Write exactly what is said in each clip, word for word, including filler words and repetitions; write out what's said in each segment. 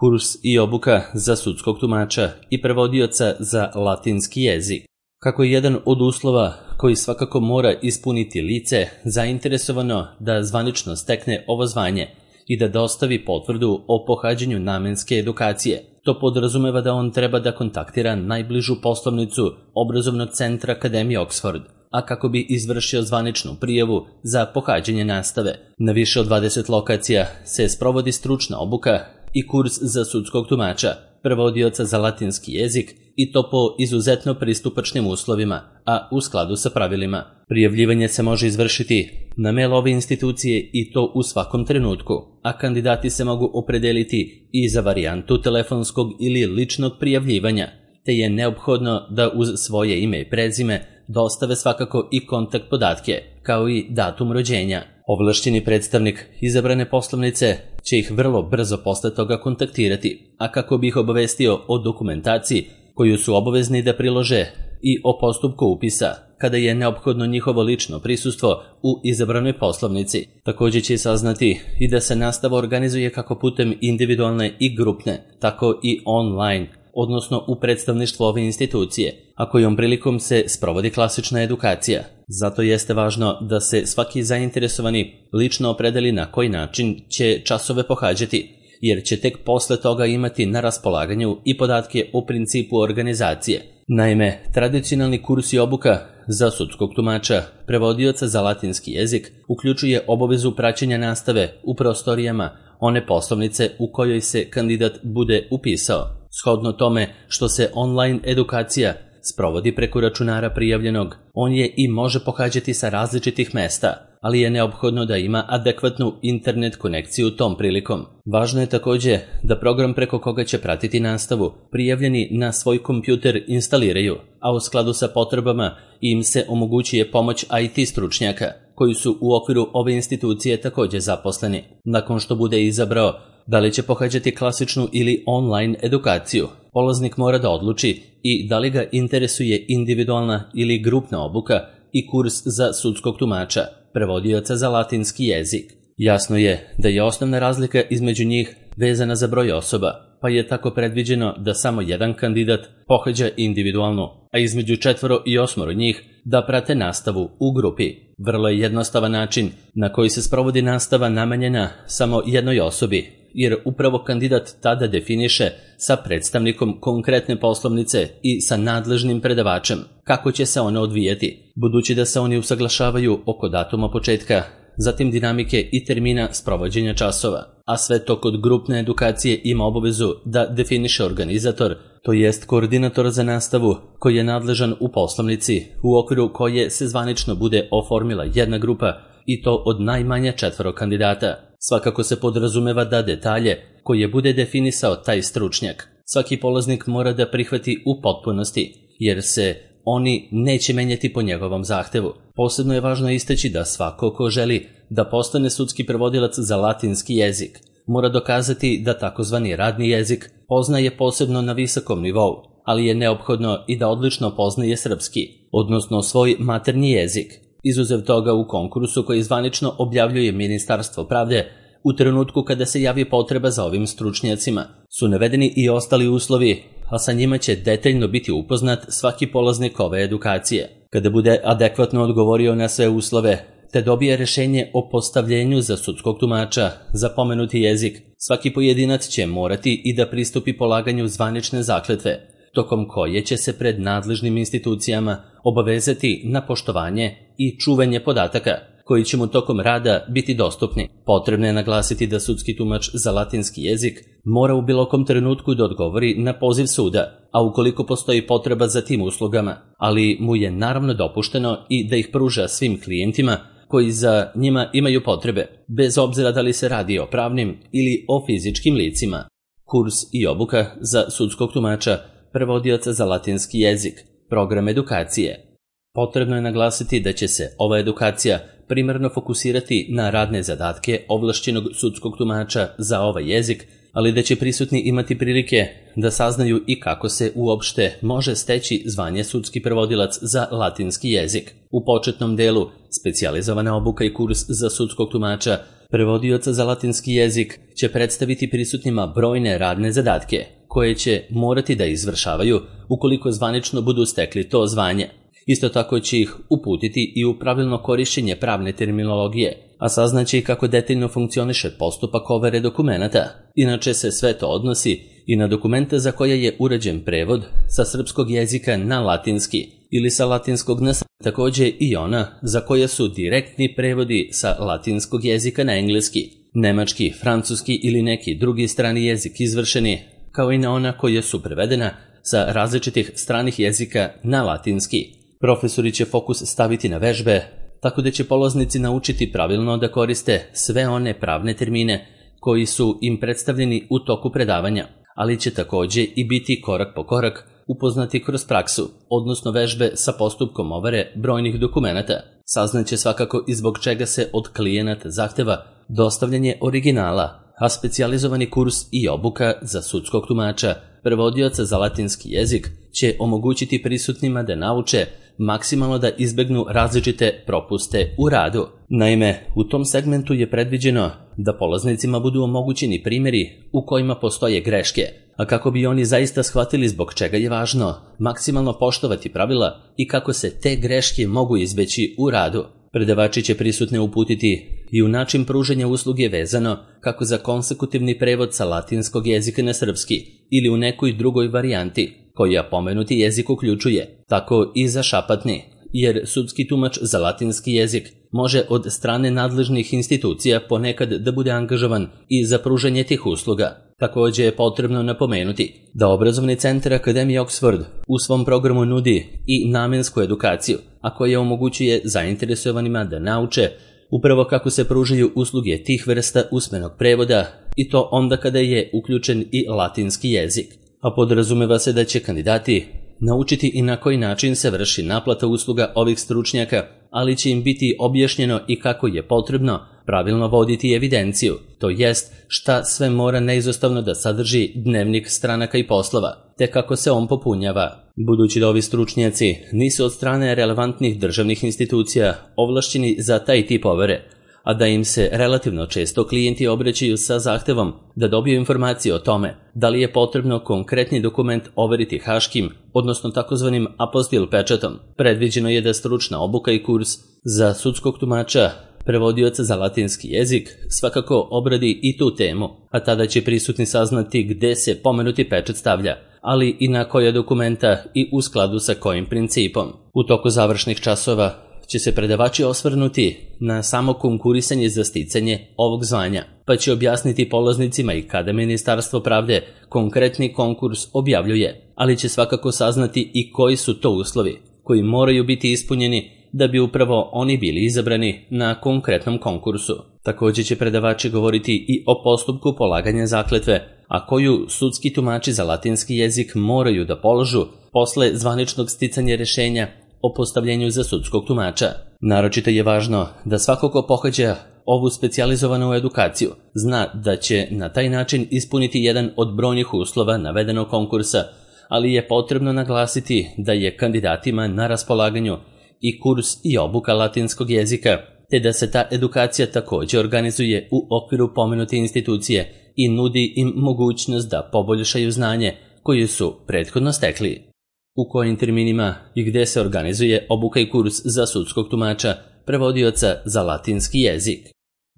Kurs i obuka za sudskog tumača i prevodioca za latinski jezik. Kako je jedan od uslova koji svakako mora ispuniti lice zainteresovano da zvanično stekne ovo zvanje i da dostavi potvrdu o pohađanju namenske edukacije, to podrazumeva da on treba da kontaktira najbližu poslovnicu obrazovnog centra Akademije Oxford, a kako bi izvršio zvaničnu prijavu za pohađanje nastave. Na više od dvadeset lokacija se sprovodi stručna obuka i kurs za sudskog tumača, prevodioca za latinski jezik, i to po izuzetno pristupačnim uslovima, a u skladu sa pravilima. Prijavljivanje se može izvršiti na mail ove institucije i to u svakom trenutku, a kandidati se mogu opredeliti i za varijantu telefonskog ili ličnog prijavljivanja, te je neophodno da uz svoje ime i prezime dostave svakako i kontakt podatke, kao i datum rođenja. Ovlašćeni predstavnik izabrane poslovnice će ih vrlo brzo posle toga kontaktirati, a kako bi ih obavestio o dokumentaciji koju su obavezni da prilože i o postupku upisa, kada je neophodno njihovo lično prisustvo u izabranoj poslovnici. Također će saznati i da se nastava organizuje kako putem individualne i grupne, tako i online, odnosno u predstavništvu ove institucije, a kojom prilikom se sprovodi klasična edukacija. Zato jeste važno da se svaki zainteresovani lično opredeli na koji način će časove pohađati, jer će tek posle toga imati na raspolaganju i podatke o principu organizacije. Naime, tradicionalni kurs i obuka za sudskog tumača, prevodioca za latinski jezik, uključuje obavezu praćenja nastave u prostorijama one poslovnice u kojoj se kandidat bude upisao. Shodno tome što se online edukacija sprovodi preko računara prijavljenog, on je i može pohađati sa različitih mesta, ali je neophodno da ima adekvatnu internet konekciju tom prilikom. Važno je također da program preko koga će pratiti nastavu prijavljeni na svoj kompjuter instaliraju, a u skladu sa potrebama im se omogućuje pomoć I T stručnjaka, koji su u okviru ove institucije također zaposleni. Nakon što bude izabrao da li će pohađati klasičnu ili online edukaciju, polaznik mora da odluči i da li ga interesuje individualna ili grupna obuka i kurs za sudskog tumača, prevodioca za latinski jezik. Jasno je da je osnovna razlika između njih vezana za broj osoba, pa je tako predviđeno da samo jedan kandidat pohađa individualno, a između četvoro i osmoro njih da prate nastavu u grupi. Vrlo je jednostavan način na koji se sprovodi nastava namenjena samo jednoj osobi, jer upravo kandidat tada definiše sa predstavnikom konkretne poslovnice i sa nadležnim predavačem kako će se ona odvijeti, budući da se oni usaglašavaju oko datuma početka, zatim dinamike i termina sprovođenja časova, a sve to kod grupne edukacije ima obavezu da definiše organizator, to jest koordinator za nastavu, koji je nadležan u poslovnici u okviru koje se zvanično bude oformila jedna grupa, i to od najmanje četvoro kandidata. Svakako se podrazumeva da detalje koje bude definisao taj stručnjak svaki polaznik mora da prihvati u potpunosti, jer se oni neće menjati po njegovom zahtevu. Posebno je važno istaći da svako ko želi da postane sudski prevodilac za latinski jezik mora dokazati da takozvani radni jezik poznaje posebno na visokom nivou, ali je neophodno i da odlično poznaje srpski, odnosno svoj maternji jezik. Izuzev toga, u konkursu koji zvanično objavljuje Ministarstvo pravde, u trenutku kada se javi potreba za ovim stručnjacima, su navedeni i ostali uslovi, a sa njima će detaljno biti upoznat svaki polaznik ove edukacije. Kada bude adekvatno odgovorio na sve uslove, te dobije rešenje o postavljenju za sudskog tumača za pomenuti jezik, svaki pojedinac će morati i da pristupi polaganju zvanične zakletve, tokom koje će se pred nadležnim institucijama obavezati na poštovanje i čuvanje podataka, koji će mu tokom rada biti dostupni. Potrebno je naglasiti da sudski tumač za latinski jezik mora u bilo kom trenutku da odgovori na poziv suda, a ukoliko postoji potreba za tim uslugama, ali mu je naravno dopušteno i da ih pruža svim klijentima koji za njima imaju potrebe, bez obzira da li se radi o pravnim ili o fizičkim licima. Kurs i obuka za sudskog tumača, prevodioca za latinski jezik, program edukacije. Potrebno je naglasiti da će se ova edukacija primarno fokusirati na radne zadatke ovlašćenog sudskog tumača za ovaj jezik, ali da će prisutni imati prilike da saznaju i kako se uopšte može steći zvanje sudski prevodilac za latinski jezik. U početnom delu specijalizovana obuka i kurs za sudskog tumača prevodioca za latinski jezik će predstaviti prisutnima brojne radne zadatke, koje će morati da izvršavaju ukoliko zvanično budu stekli to zvanje. Isto tako će ih uputiti i u pravilno korišćenje pravne terminologije, a saznaće i kako detaljno funkcioniše postupak overe dokumenata. Inače se sve to odnosi i na dokumente za koje je urađen prevod sa srpskog jezika na latinski ili sa latinskog na srpski. Takođe i ona za koje su direktni prevodi sa latinskog jezika na engleski, nemački, francuski ili neki drugi strani jezik izvršeni, kao i na ona koje su prevedena sa različitih stranih jezika na latinski. Profesori će fokus staviti na vežbe, tako da će polaznici naučiti pravilno da koriste sve one pravne termine koji su im predstavljeni u toku predavanja, ali će takođe i biti korak po korak upoznati kroz praksu, odnosno vežbe sa postupkom overe brojnih dokumenata. Saznaće svakako i zbog čega se od klijenata zahteva dostavljanje originala, a specijalizovani kurs i obuka za sudskog tumača, prevodioca za latinski jezik, će omogućiti prisutnima da nauče maksimalno da izbegnu različite propuste u radu. Naime, u tom segmentu je predviđeno da polaznicima budu omogućeni primjeri u kojima postoje greške, a kako bi oni zaista shvatili zbog čega je važno maksimalno poštovati pravila i kako se te greške mogu izbeći u radu. Predavači će prisutne uputiti i u način pružanja usluge vezano kako za konsekutivni prevod sa latinskog jezika na srpski ili u nekoj drugoj varijanti koja pomenuti jezik uključuje, tako i za šapatni, jer sudski tumač za latinski jezik može od strane nadležnih institucija ponekad da bude angažovan i za pružanje tih usluga. Takođe je potrebno napomenuti da obrazovni centar Akademije Oxford u svom programu nudi i namensku edukaciju, a koja omogućuje zainteresovanima da nauče upravo kako se pružaju usluge tih vrsta usmenog prevoda, i to onda kada je uključen i latinski jezik. A podrazumeva se da će kandidati naučiti i na koji način se vrši naplata usluga ovih stručnjaka, ali će im biti objašnjeno i kako je potrebno pravilno voditi evidenciju, to jest šta sve mora neizostavno da sadrži dnevnik stranaka i poslova, te kako se on popunjava. Budući da ovi stručnjaci nisu od strane relevantnih državnih institucija ovlašćeni za taj tip overe, a da im se relativno često klijenti obraćaju sa zahtevom da dobiju informacije o tome da li je potrebno konkretni dokument overiti haškim, odnosno takozvanim apostil pečatom. Predviđeno je da stručna obuka i kurs za sudskog tumača, prevodioca za latinski jezik, svakako obradi i tu temu, a tada će prisutni saznati gde se pomenuti pečat stavlja, ali i na koja dokumenta i u skladu sa kojim principom. U toku završnih časova će se predavači osvrnuti na samo konkurisanje za sticanje ovog zvanja, pa će objasniti polaznicima i kada Ministarstvo pravde konkretni konkurs objavljuje, ali će svakako saznati i koji su to uslovi koji moraju biti ispunjeni da bi upravo oni bili izabrani na konkretnom konkursu. Takođe će predavači govoriti i o postupku polaganja zakletve, a koju sudski tumači za latinski jezik moraju da položu posle zvaničnog sticanja rešenja o postavljenju za sudskog tumača. Naročito je važno da svako ko pohađa ovu specijalizovanu edukaciju zna da će na taj način ispuniti jedan od brojnih uslova navedenog konkursa, ali je potrebno naglasiti da je kandidatima na raspolaganju i kurs i obuka latinskog jezika, te da se ta edukacija takođe organizuje u okviru pomenute institucije i nudi im mogućnost da poboljšaju znanje koje su prethodno stekli. U kojim terminima i gde se organizuje obuka i kurs za sudskog tumača, prevodioca za latinski jezik.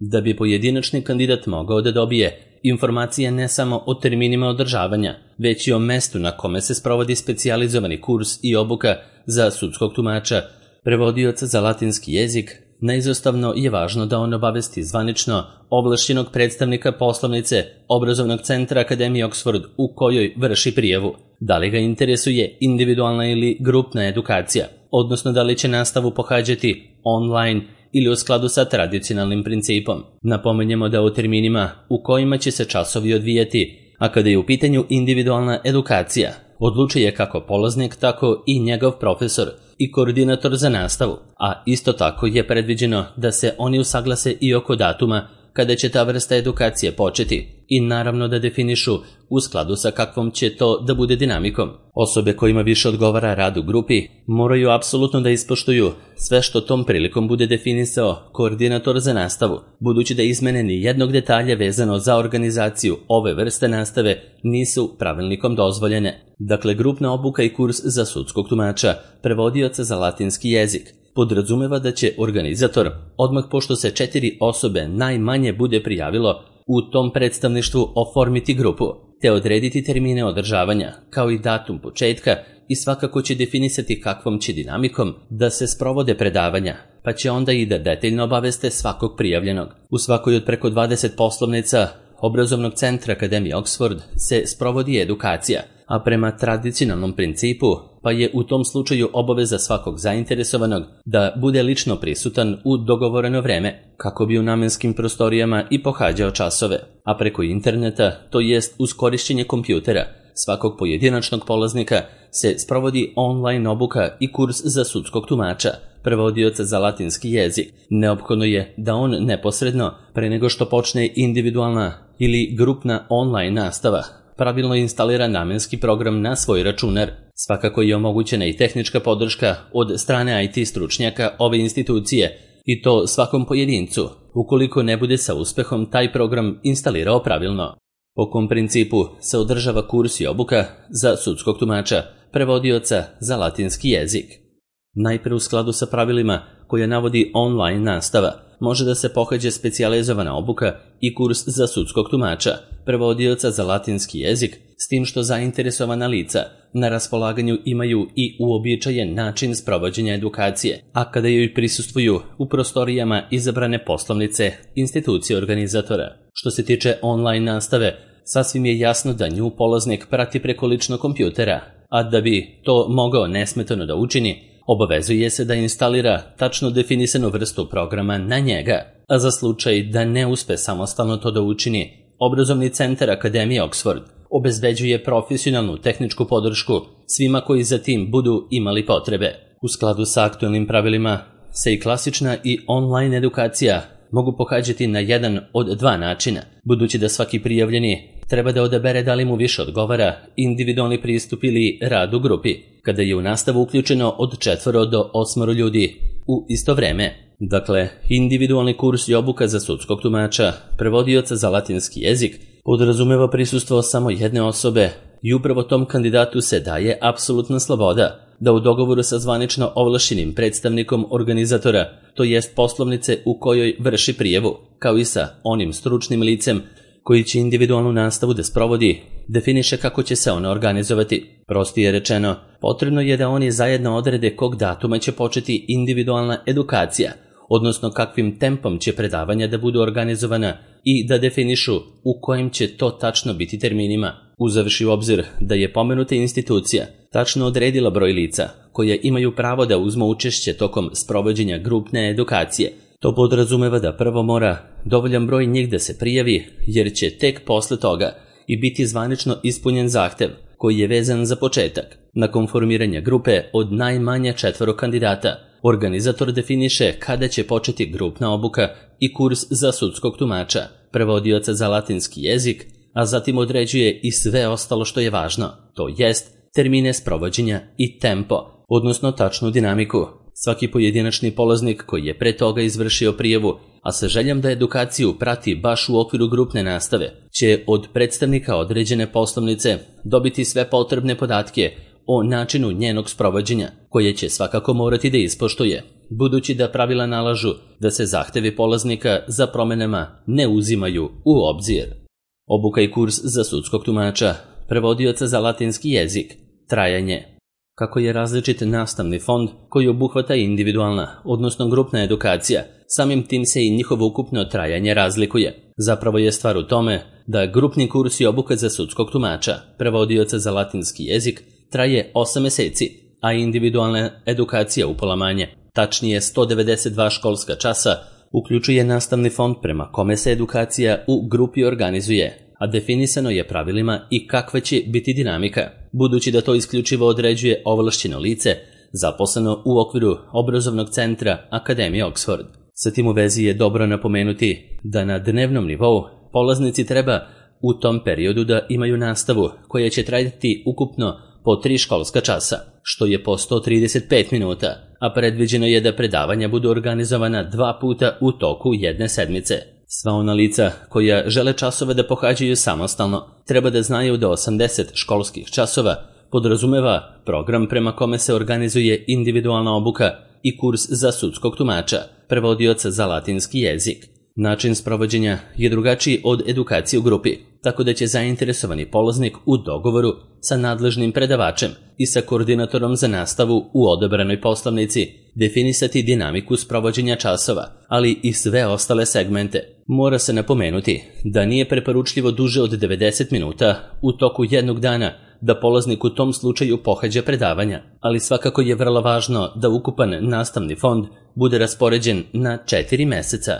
Da bi pojedinačni kandidat mogao da dobije informacije ne samo o terminima održavanja, već i o mestu na kome se sprovodi specijalizovani kurs i obuka za sudskog tumača, prevodioca za latinski jezik, neizostavno je važno da on obavesti zvanično ovlašćenog predstavnika poslovnice obrazovnog centra Akademije Oxford u kojoj vrši prijavu, da li ga interesuje individualna ili grupna edukacija, odnosno da li će nastavu pohađati online ili u skladu sa tradicionalnim principom. Napomenjemo da o terminima u kojima će se časovi odvijati, a kada je u pitanju individualna edukacija, odlučuje kako polaznik, tako i njegov profesor i koordinator za nastavu, a isto tako je predviđeno da se oni usaglase i oko datuma kada će ta vrsta edukacije početi i naravno da definišu u skladu sa kakvom će to da bude dinamikom. Osobe kojima više odgovara rad u grupi moraju apsolutno da ispoštuju sve što tom prilikom bude definisao koordinator za nastavu, budući da izmene ni jednog detalja vezano za organizaciju ove vrste nastave nisu pravilnikom dozvoljene. Dakle, grupna obuka i kurs za sudskog tumača, prevodioca za latinski jezik, podrazumeva da će organizator, odmah pošto se četiri osobe najmanje bude prijavilo, u tom predstavništvu oformiti grupu, te odrediti termine održavanja, kao i datum početka, i svakako će definisati kakvom će dinamikom da se sprovode predavanja, pa će onda i da detaljno obaveste svakog prijavljenog. U svakoj od preko dvadeset poslovnica obrazovnog centra Akademije Oxford se sprovodi edukacija, a prema tradicionalnom principu, pa je u tom slučaju obaveza svakog zainteresovanog da bude lično prisutan u dogovoreno vreme, kako bi u namenskim prostorijama i pohađao časove, a preko interneta, to jest uz korišćenje kompjutera, svakog pojedinačnog polaznika se sprovodi online obuka i kurs za sudskog tumača, prevodioca za latinski jezik. Neophodno je da on neposredno, pre nego što počne individualna ili grupna online nastava, pravilno instalira namenski program na svoj računar. Svakako je omogućena i tehnička podrška od strane I T stručnjaka ove institucije, i to svakom pojedincu, ukoliko ne bude sa uspehom taj program instalirao pravilno. Po kom principu se održava kurs i obuka za sudskog tumača, prevodioca za latinski jezik. Najpre u skladu sa pravilima koje navodi online nastava, može da se pohađa specijalizovana obuka i kurs za sudskog tumača, prevodioca za latinski jezik, s tim što zainteresovana lica na raspolaganju imaju i uobičajen način sprovođenja edukacije, a kada joj prisustvuju u prostorijama izabrane poslovnice institucije organizatora. Što se tiče online nastave, sasvim je jasno da nju polaznik prati preko ličnog kompjutera, a da bi to mogao nesmetano da učini, obavezuje se da instalira tačno definisanu vrstu programa na njega, a za slučaj da ne uspe samostalno to da učini, Obrazovni centar Akademije Oxford obezbeđuje profesionalnu tehničku podršku svima koji za tim budu imali potrebe. U skladu sa aktuelnim pravilima se i klasična i online edukacija mogu pohađati na jedan od dva načina, budući da svaki prijavljeni treba da odabere da li mu više odgovara individualni pristup ili rad u grupi, kada je u nastavu uključeno od četvoro do osmoro ljudi u isto vreme. Dakle, individualni kurs i obuka za sudskog tumača, prevodioca za latinski jezik, podrazumeva prisustvo samo jedne osobe i upravo tom kandidatu se daje apsolutna sloboda da u dogovoru sa zvanično ovlašćenim predstavnikom organizatora, to jest poslovnice u kojoj vrši prijavu, kao i sa onim stručnim licem koji će individualnu nastavu da sprovodi, definiše kako će se ona organizovati. Prostije rečeno, potrebno je da oni zajedno odrede kog datuma će početi individualna edukacija, odnosno kakvim tempom će predavanja da budu organizovana i da definišu u kojim će to tačno biti terminima. Uzavši u obzir da je pomenuta institucija tačno odredila broj lica koje imaju pravo da uzmu učešće tokom sprovođenja grupne edukacije, to podrazumeva da prvo mora dovoljan broj njih da se prijavi, jer će tek posle toga i biti zvanično ispunjen zahtev koji je vezan za početak. Nakon formiranja grupe od najmanje četvoro kandidata, organizator definiše kada će početi grupna obuka i kurs za sudskog tumača, prevodioca za latinski jezik, a zatim određuje i sve ostalo što je važno, to jest termine sprovođenja i tempo, odnosno tačnu dinamiku. Svaki pojedinačni polaznik koji je pre toga izvršio prijavu, a sa željom da edukaciju prati baš u okviru grupne nastave, će od predstavnika određene poslovnice dobiti sve potrebne podatke o načinu njenog sprovođenja, koje će svakako morati da ispoštuje, budući da pravila nalažu da se zahtevi polaznika za promenama ne uzimaju u obzir. Obuka i kurs za sudskog tumača, prevodioca za latinski jezik, trajanje. Kako je različit nastavni fond koji obuhvata individualna, odnosno grupna edukacija, samim tim se i njihovo ukupno trajanje razlikuje. Zapravo je stvar u tome da grupni kurs i obuka za sudskog tumača, prevodioca za latinski jezik, traje osam meseci, a individualna edukacija upola manje, tačnije sto devedeset dva školska časa, uključuje nastavni fond prema kome se edukacija u grupi organizuje, a definisano je pravilima i kakva će biti dinamika, budući da to isključivo određuje ovlašćeno lice zaposleno u okviru Obrazovnog centra Akademije Oxford. Sa tim u vezi je dobro napomenuti da na dnevnom nivou polaznici treba u tom periodu da imaju nastavu koja će trajati ukupno po tri školska časa, što je po sto trideset pet minuta, a predviđeno je da predavanja budu organizovana dva puta u toku jedne sedmice. Sva ona lica koja žele časove da pohađaju samostalno treba da znaju da osamdeset školskih časova podrazumeva program prema kome se organizuje individualna obuka i kurs za sudskog tumača, prevodioca za latinski jezik. Način sprovođenja je drugačiji od edukacije u grupi, tako da će zainteresovani polaznik u dogovoru sa nadležnim predavačem i sa koordinatorom za nastavu u odabranoj poslovnici definisati dinamiku sprovođenja časova, ali i sve ostale segmente. Mora se napomenuti da nije preporučljivo duže od devedeset minuta u toku jednog dana da polaznik u tom slučaju pohađa predavanja, ali svakako je vrlo važno da ukupan nastavni fond bude raspoređen na četiri meseca.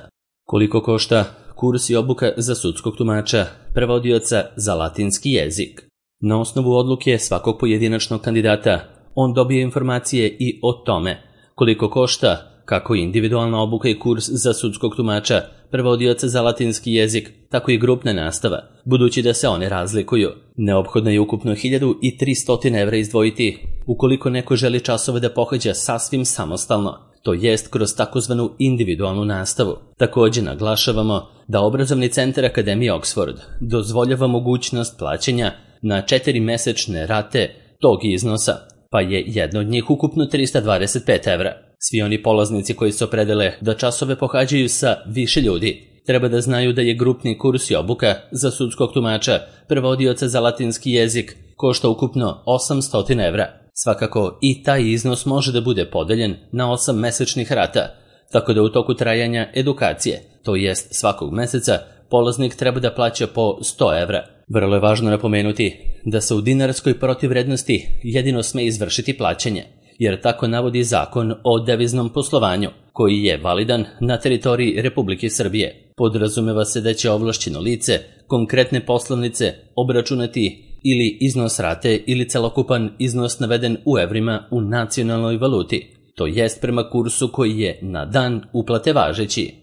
Koliko košta kurs i obuka za sudskog tumača, prevodioca za latinski jezik? Na osnovu odluke svakog pojedinačnog kandidata, on dobije informacije i o tome koliko košta kako individualna obuka i kurs za sudskog tumača, prevodioca za latinski jezik, tako i grupna nastava, budući da se one razlikuju. Neophodno je ukupno hiljadu tristo evra izdvojiti ukoliko neko želi časove da pohađa sasvim samostalno, to jest kroz takozvanu individualnu nastavu. Također naglašavamo da obrazovni centar Akademije Oxford dozvoljava mogućnost plaćanja na četiri mesečne rate tog iznosa, pa je jedna od njih ukupno trista dvadeset pet evra. Svi oni polaznici koji se opredele da časove pohađaju sa više ljudi treba da znaju da je grupni kurs i obuka za sudskog tumača, prevodioca za latinski jezik, košta ukupno osamsto evra. Svakako i taj iznos može da bude podeljen na osam mesečnih rata, tako da u toku trajanja edukacije, to jest svakog meseca, polaznik treba da plaća po sto evra. Vrlo je važno napomenuti da se u dinarskoj protivvrednosti jedino sme izvršiti plaćanje, jer tako navodi Zakon o deviznom poslovanju, koji je validan na teritoriji Republike Srbije. Podrazumeva se da će ovlašćeno lice konkretne poslovnice obračunati ili iznos rate ili celokupan iznos naveden u evrima u nacionalnoj valuti, to jest prema kursu koji je na dan uplate važeći.